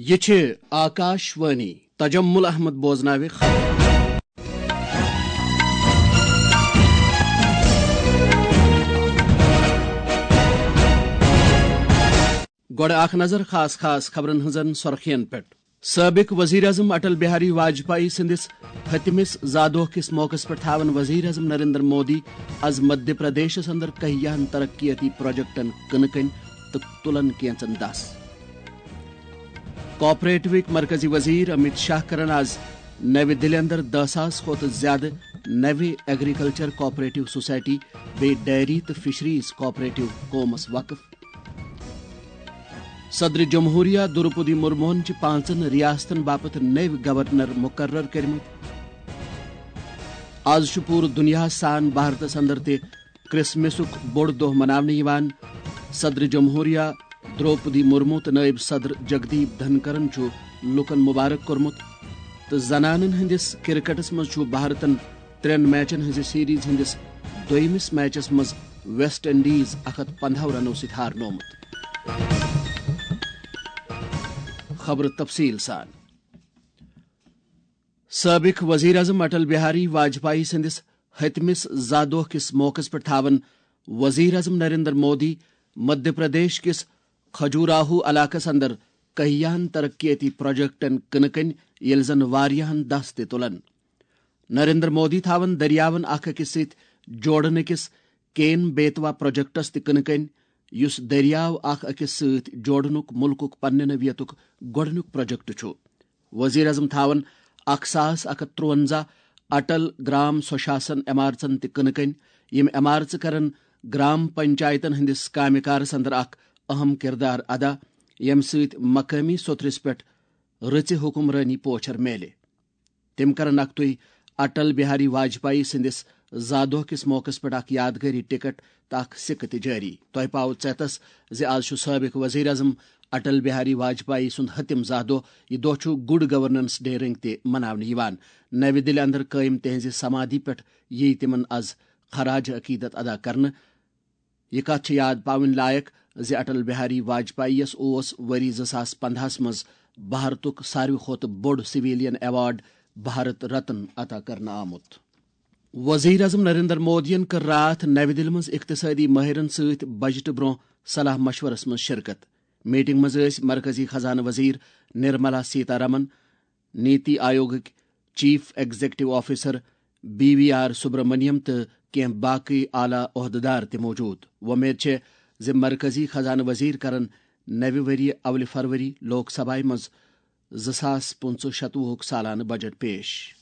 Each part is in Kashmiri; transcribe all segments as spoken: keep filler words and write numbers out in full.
یہ چھِ آکاش وانی۔ تجمل احمد بوزناوِ خبر۔ گۄڈٕ اکھ نظر خاص خاص خبرن ہٕنٛزن سرخین پٮ۪ٹھ۔ سٲبِق وزیر اعظم اٹل بہاری واجپایی سٕنٛدِس ہتمِس زادوہ کِس موقعس پٮ۪ٹھ تھاون وزیر اعظم نریندر مودی از مدھیہ پردیشس اندر کہیاہن ترقیتی پروجیکٹن کٕنہٕ کٔنۍ تہٕ تُلن کینژن دس۔ کوآپریٹوٕکۍ مرکزی وزیر امیت شاہ کرن از نوِ دِلہِ اندر دہ ساس کھۄتہٕ زیادٕ نوِ ایگریکلچر کوآپریٹو سوسائٹی بیٚیہِ ڈیری تہٕ فشریز کوآپریٹو قومس وقف۔ صدر جمہوریہ دروپدی مرموہن چھِ پانٛژن ریاستن باپتھ نٔوۍ گورنر مقرر کٔرمٕتۍ۔ از چھُ پوٗرٕ دُنیاہس سان بھارتس اندر تہِ کرسمسُک بوٚڑ دۄہ مناونہٕ یِوان۔ صدر جمہوریہ دروپدی مرمو تہٕ نٲیِب صدر جگدیپ دھنکرن چھُ لوٗکن مبارک کوٚرمُت تہٕ زنانن ہٕنٛدِس کرکٹس منٛز چھُ بھارتن ترٛٮ۪ن میچن ہٕنٛزِ سیریز ہٕنٛدِس دوٚیمِس میچس منٛز ویسٹ انڈیز اکھ ہتھ پنداہ رنو سۭتۍ ہارنومُت۔ خبرٕ تفصیٖل سان۔ سٲبِق وزیر اعظم اٹل بہاری واجپایی سٕنٛدِس ہتمِس زا دۄہ کِس موقعس پٮ۪ٹھ تھاون وزیر اعظم نریندر مودی مدھیہ پردیش کِس کھجوراہو علاقس اندر کہیاہن ترقیتی پروجیکٹن کٕنہٕ کٔنۍ، ییٚلہِ زن واریاہن دس تہِ تُلن۔ نریندر مودی تھاون دٔریاوَن اکھ أکِس سۭتۍ جوڑنہٕ کِس کین بیتوا پروجیکٹس تہِ کٕنہٕ کٔنۍ، یُس دٔریاو اکھ أکِس سۭتۍ جوڑنُک مُلکُک پننہِ نوعیتُک گۄڈٕنیُک پروجیکٹ چھُ۔ وزیر اعظم تھاون اکھ ساس اکھ ہتھ ترُونزہ اٹل گرام سوشاسن عمارژن تہِ کٕنہٕ کٔنۍ۔ یِم عمارژٕ کرن گرام پنچایتن ہٕنٛدِس کامہِ کارس اندر اکھ اہم کردار ادا، ییٚمہِ سۭتۍ مقٲمی سوٚتھرِس پٮ۪ٹھ رٕژِ حکمرٲنی پوچھر میلہِ۔ تِم کرن اکھ تُہۍ اٹل بہاری واجپایی سٕنٛدِس زا دۄہ کِس موقعس پٮ۪ٹھ اکھ یادگٲری ٹکٹ تہٕ اکھ سِکہٕ تہِ جٲری۔ تۄہہِ پاوٕ ژیتس زِ از چھُ سٲبِق وزیر اعظم اٹل بہاری واجپایی سُنٛد ہتِم زا دۄہ۔ یہِ دۄہ چھُ گڈ گورننس ڈے رٔنگۍ تہِ مناونہٕ یِوان۔ نوِ دِلہِ اندر قٲیِم تِہنٛزِ سمادھی پٮ۪ٹھ یِیہِ تِمن از خراج عقیدت ادا کرنہٕ۔ یہِ کتھ چھِ یاد پاوٕنۍ لایق زِ اٹل بہاری واجپایی یس اوس ؤری زٕ ساس پندہس منٛز بھارتُک ساروی کھۄتہٕ بوٚڑ سویلین ایوارڈ بھارت رتن عطا کرنہٕ آمُت۔ وزیر اعظم نریندر مودیَن کٔر راتھ نوِ دِلہِ منٛز اقتصٲدی مٲہرَن سۭتۍ بجٹہٕ برٛونٛہہ صلاح مشورَس منٛز شرکت۔ میٹنگ منٛز ٲسۍ مرکزی خزانہٕ وزیر نرملا سیتا رمن، نیتی آیوگٕکۍ chief executive officer B V R Subrahmanyam تہٕ کینٛہہ باقٕے اعلیٰ عہدٕدار تہِ موجود۔ وۄمید چھےٚ زِ مرکزی خزانہٕ وزیر کرن نوِ ؤریہِ اولِ فروری لوک سبھایہ منٛز زٕ ساس پٕنٛژٕہ شتوُہُک سالانہٕ بجٹ پیش۔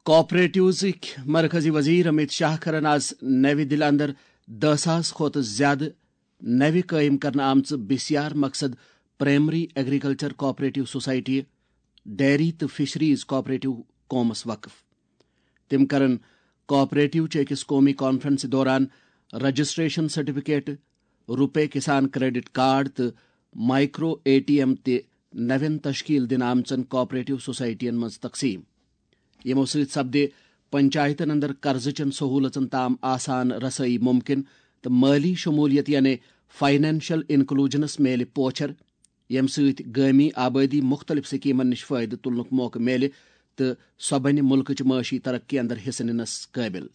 کوآپریٹوزٕکۍ مرکزی وزیر امیت شاہ کرن آز نوِ دِلہِ اندر دہ ساس کھۄتہٕ زیادٕ نوِ قٲیِم کرنہٕ آمژٕ بسیار مقصد primary agriculture cooperative society, dairy تہٕ فشریز کوآپریٹو قومس وقف۔ تِم کرن کوآپریٹو چہِ أکِس قومی کانفرنسہِ دوران رجسٹریشن سرٹیفکیٹ، روپے کسان کریڈٹ کارڈ تہٕ مائیکرو اے ٹی ایم تہِ نوٮ۪ن تشکیل دِنہٕ آمژن کوآپریٹو سوسائٹین منٛز تقسیٖم۔ یِمو سۭتۍ سپدِ پنچایتن اندر قرضٕچن سہولژن تام آسان رسٲیی ممکن تہٕ مٲلی شمولیت یعنی فائنانشل انکلوجنس میلہِ پوچھر، ییٚمہِ سۭتۍ گٲمی آبٲدی مُختٔلِف سکیمن نِش فٲیدٕ تُلنُک موقعہٕ میلہِ تہٕ سۄ بنہِ مُلکٕچ معاشی ترقی اندر حصہٕ نِنس قٲبِل۔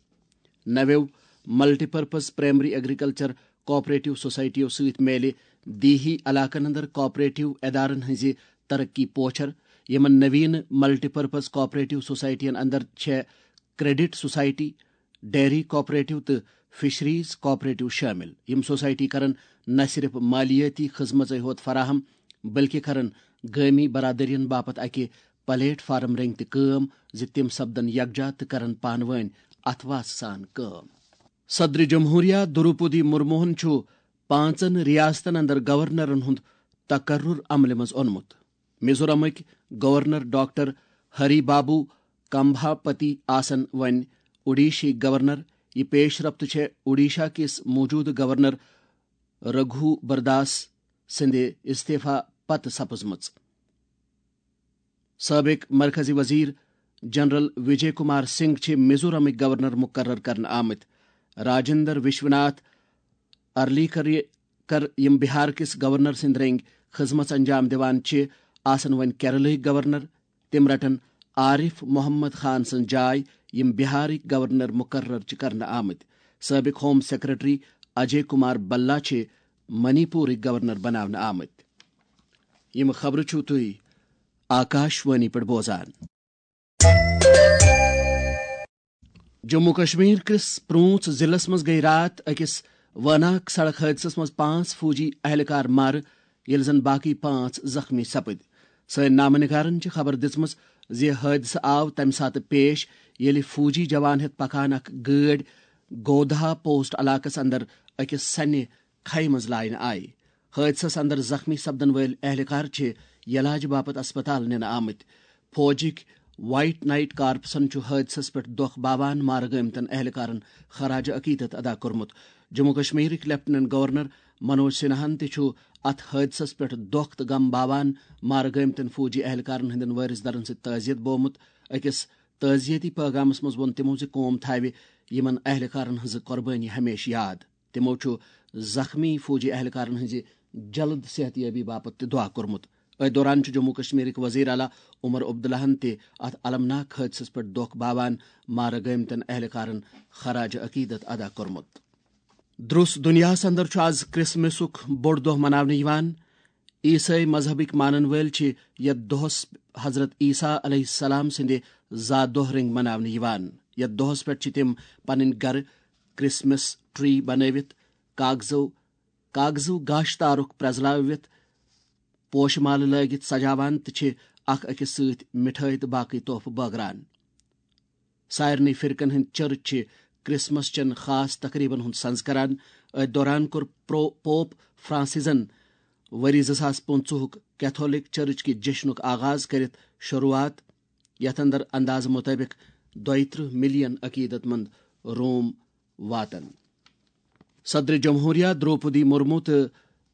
نویو multi purpose primary agriculture cooperative سوسائٹیو سۭتۍ میلہِ دیہی علاقن اندر کوآپریٹو ادارن ہٕنزِ ترقی پوچھر۔ یِمن نوین ملٹی پرپز کوآپریٹو سوسائٹین اندر چھےٚ کریڈٹ سوسائٹی، ڈیری کوآپریٹو تہٕ فشریز کوآپریٹو شٲمِل۔ یِم سوسائٹی کرن نہ صرف مالیٲتی خدمژے ہوت فراہم، بلکہ کرن گٲمی برادرین باپتھ اکہِ پلیٹ فارم رٔنگۍ تہِ کٲم زِ تِم سپدن یکجا تہٕ کرن پانہٕ وٲنۍ اتھواس سان کٲم۔ صدر جمہوریہ دروپدی مرموہن چھُ پانٛژن ریاستن اندر گورنرن ہُنٛد تقرر عملہِ منٛز اونمُت۔ میزورامٕکۍ گورنر ڈاکٹر ہری بابو کمبھاپتی آسن وۄنۍ اوڈیشہٕکۍ گورنر۔ یہِ پیش رفت چھےٚ اوڈیشہ کِس موجودٕ گورنر رگھو برداس سٕنٛدِ استعفی پتہٕ سپٕزمٕژ۔ سٲبِق مرکزی وزیر جنرل وجے کمار سنگھ چھِ میزورامٕکۍ گورنر مقرر کرنہٕ آمٕتۍ۔ راجندر وشوناتھ ارلیکر کر یِم بہار کِس گورنر سٕنٛدۍ رٔنگۍ خدمژ انجام دِوان چھِ، آسن وۄنۍ کیرلہٕکۍ گورنر۔ تِم رٹن عارف محمد خان سٕنٛز جاے، یِم بہارٕکۍ گورنر مقرر چھِ کرنہٕ آمٕتۍ۔ سٲبق ہوم سیکرٹری اجے کمار بلا چھِ منی پورٕکۍ گورنر بناونہٕ آمٕتۍ۔ یِم خبرٕ چھِو تُہۍ آکاش وانی پٮ۪ٹھ بوزان۔ جموں کشمیر کِس پرونٛژھ ضلعس منٛز گٔیہِ راتھ أکِس وٲناکھ سڑک حٲدثس منٛز پانٛژھ فوجی اہلکار مارٕ، ییٚلہِ زن باقٕے پانٛژھ زخمی سپٕدۍ۔ سٲنۍ نامہ نگارن چھِ خبر دِژمٕژ زِ حٲدثہٕ آو تمہِ ساتہٕ پیش، ییٚلہِ فوجی جوان ہٮ۪تھ پکان اکھ گٲڑۍ گودھا پوسٹ علاقس اندر أکِس سنہِ کھیہِ منٛز لاینہٕ آیہِ۔ حٲدثس اندر زخمی سپدن وٲلۍ اہلکار چھِ یلاج باپتھ اسپتال نِنہٕ آمٕتۍ۔ فوجٕکۍ وائٹ نائٹ کارپسن چھُ حٲدثس پٮ۪ٹھ دۄکھ باوان مارٕ گٲمتن اہلکارن خراج عقیدت ادا کوٚرمُت۔ جموں کشمیرٕکۍ لیفٹیننٹ گورنر منوج سنہاہن تہِ چھُ اتھ حٲدثس پٮ۪ٹھ دۄکھ تہٕ غم باوان مارٕ گٲمتن فوجی اہلکارن ہٕنٛدٮ۪ن وٲرث درن سۭتۍ تعزیت بومُت۔ أکِس تعزیتی پیغامس منٛز ووٚن تِمو زِ قوم تھاوِ یِمن اہلکارن ہٕنٛز قۄربٲنی ہمیشہِ یاد۔ تِمو چھُ زخمی فوجی اہلکارن ہٕنٛزِ جلد صحت یابی باپتھ تہِ دعا کوٚرمُت۔ أتھۍ دوران چھُ جموں کشمیرٕکۍ وزیر اعلیٰ عمر عبداللہن تہِ اتھ المناک حٲدثس پٮ۪ٹھ دۄکھ باوان مارٕ گٲمتٮ۪ن اہلکارن خراج عقیدت ادا کوٚرمُت۔ درس دنیاہس اندر چھُ آز کرسمسُک بوٚڑ دۄہ مناونہٕ یِوان۔ عیسٲے مذہبٕکۍ مانن وٲلۍ چھِ یتھ دۄہس حضرت عیسیٰ علیہ السلام سٕنٛدِ زا دۄہ رٔنگۍ مناونہٕ یِوان۔ یتھ دۄہس پٮ۪ٹھ چھِ تِم پنٕنۍ گرٕ کرسمس ٹری بنٲوِتھ، کاغذو کاغذو گاشہٕ تارُک پرٛزلاوِتھ، پوشہٕ مالہٕ لٲگِتھ سجاوان تہٕ چھِ اکھ أکِس سۭتۍ مِٹھٲے تہٕ باقٕے تحفہٕ بٲگران۔ سارنٕے فرقن ہٕنٛدۍ چرچ چھِ کرسمس چٮ۪ن خاص تقریبن ہُنٛد سنز کران۔ أتھۍ دوران کوٚر پرو-، پوپ فرانسیزن ؤری زٕ ساس پٕنٛژٕہُک کیتھولک چرچ کہِ جشنُک آغاز کٔرِتھ شروعات، یتھ اندر اندازٕ مطٲبق دۄیہِ ترٕٛہ ملین عقیدت مند روم واتن۔ صدر جمہوریہ دروپدی مرمو تہٕ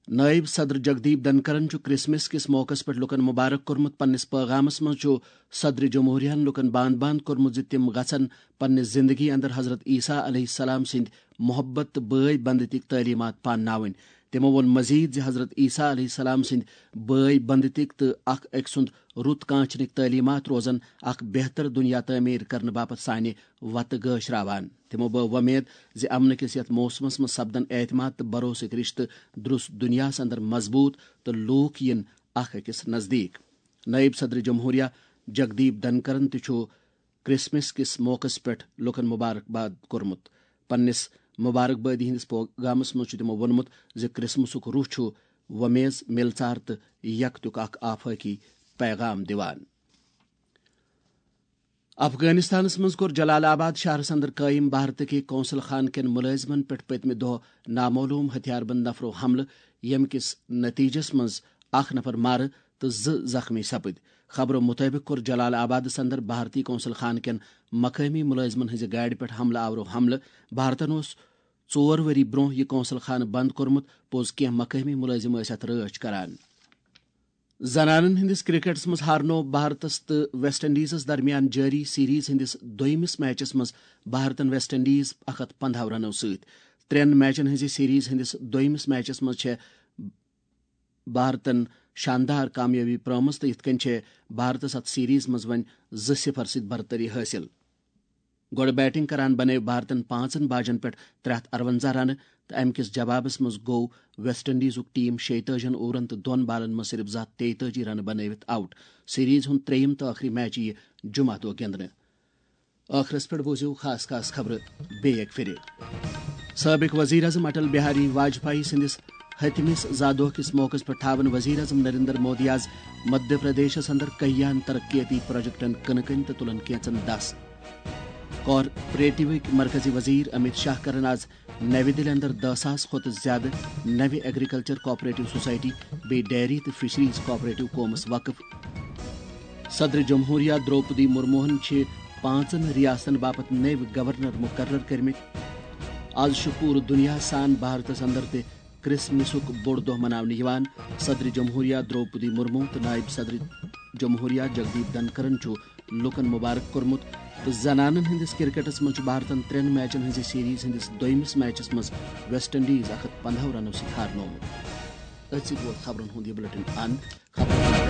نائب صدر جگدیپ دھنکرن چھُ کرسمس کِس موقعس پٮ۪ٹھ لوٗکن مبارک کوٚرمُت۔ پننِس پٲغامس منٛز چھُ صدر جمہوریہن لوٗکن باند باند کوٚرمُت زِ تِم گژھن پننہِ زندگی اندر حضرت عیسیٰ علیہ السلام سٕنٛدۍ محبت تہٕ بٲے بندتی تعلیمات پانناوٕنۍ۔ تِمو ووٚن مزید زِ حضرت عیسیٰ علیہ السلام سٕنٛدۍ بٲے بندتی تہٕ اکھ أکۍ سُنٛد رُت کانچھنٕکۍ تعلیمات روزن اکھ بہتر دنیا تعمیر کرنہٕ باپتھ سانہِ وتہٕ گٲش راوان۔ تِمو بٲو وۄمید زِ امنہٕ کِس یتھ موسمس منٛز سپدن اعتماد تہٕ بھروسٕکۍ رشتہٕ درست دنیاہس اندر مضبوط تہٕ لوٗکھ یِن اکھ أکِس نزدیٖک۔ نائب صدر جمہوریہ جگدیپ دھنکرن تہِ چھُ کرسمس کِس موقعس پٮ۪ٹھ لوٗکن مبارکباد کوٚرمُت۔ پننِس مبارکبادی ہٕنٛدِس پوغامس منٛز چھُ تِمو ووٚنمُت زِ کرسمسُک روح چھُ وۄمیز، مِلژار تہٕ یکتیُک اکھ آفٲقی پیغام دِوان۔ افغانستانس منٛز کوٚر جلال آباد شہرس اندر قٲیِم بھارتٕکہِ قونصل خانہٕ کٮ۪ن مُلٲزمن پٮ۪ٹھ پٔتمہِ دۄہ نامعلوم ہتھیار بند نفرو حملہٕ، ییٚمہِ کِس نتیجس منٛز اکھ نفر مارٕ تہٕ زٕ زخمی سپٕدۍ۔ خبرو مُطٲبِق کوٚر جلال آبادس اندر بھارتی قونصل خانہٕ کٮ۪ن مقٲمی مُلٲزمن ہٕنٛزِ گاڑِ پٮ۪ٹھ حملہٕ آورو حملہٕ۔ بھارتن اوس ژور ؤری برونٛہہ یہِ قونصل خانہٕ بند کوٚرمُت۔ پوٚز، کینٛہہ مقٲمی مُلٲزم ٲسۍ اتھ رٲچھ کران۔ زنانن ہٕنٛدِس کرکٹس منٛز ہارنوو بھارتس تہٕ ویسٹ انڈیزس درمیان جٲری سیریز ہٕنٛدِس دوٚیمِس میچس منٛز بھارتن ویسٹ انڈیز اکھ ہتھ پنداہ رنو سۭتۍ۔ ترٛٮ۪ن میچن ہٕنٛزِ سیریز ہٕنٛدِس دوٚیمِس میچس منٛز چھےٚ بھارتن شاندار کامیٲبی پرٲومٕژ تہٕ یِتھ کٔنۍ چھےٚ بھارتس اتھ سیریز منٛز وۄنۍ زٕ صفر سۭتۍ برتری حٲصِل۔ گۄڈٕ بیٹنگ کران بنٲوۍ بھارتن پانٛژن باجن پٮ۪ٹھ ترٛےٚ ہتھ ارونزاہ رنہٕ تہٕ امہِ کِس جوابس منٛز گوٚو ویسٹ انڈیزُک ٹیم شیٚیہِ تٲجی ہن اوورن تہٕ دۄن بالن منٛز صرف زٕ ہتھ تیٚیہِ تٲجی رنہٕ بنٲوِتھ آؤٹ۔ سیریز ہُنٛد ترٛیٚیِم تہٕ ٲخری میچ یِیہِ جمعہ دۄہ گِنٛدنہٕ۔ ٲخرس پٮ۪ٹھ بوٗزِو خاص خاص خبرٕ بیٚیہِ اکہِ پھِرِ۔ سٲبق وزیر اعظم اٹل بہاری واجپایی سٕنٛدِس ہتمِس زا دۄہ کِس موقعس پٮ۪ٹھ تھاون وزیر اعظم نریندر مودی آز مدھیہ پردیشس اندر کہیاہن ترقیتی پروجیکٹن کٕنہٕ کٔنۍ تہٕ تُلن کینژن دس۔ کارپوریٹوٕکۍ مرکزی وزیر امیت شاہ کرن آز نَوِ دِلہِ اندر دَہ ساس کھۄتہٕ زیادٕ نَوِ ایگریکلچر کوآپریٹو سوسائٹی بیٚیہِ ڈیری تہٕ فشریز کوآپریٹو قومس وقف۔ صدر جمہوریہ دروپدی مرموہن چھِ پانٛژن ریاستن باپتھ نٔوۍ گورنر مقرر کٔرمٕتۍ۔ آز چھُ پوٗرٕ دُنیا سان بھارتس اندر تہِ کرسمسُک بوٚڑ دۄہ مناونہٕ یِوان۔ صدر جمہوریہ دروپدی مرمو تہٕ نائب صدر جمہوریہ جگدیپ دھنکرن چھُ لوٗکن مبارک کوٚرمُت تہٕ زنانن ہٕنٛدِس کرکٹس منٛز چھُ بھارتن ترٛٮ۪ن میچن ہٕنٛزِ سیریز ہٕنٛدِس دوٚیمِس میچس منٛز ویسٹ انڈیز اکھ ہتھ پنداہ رنو سۭتۍ ہارنوومُت۔ أتھۍ سۭتۍ ووت خبرن ہُنٛد یہِ بلیٹن اند۔ خبرن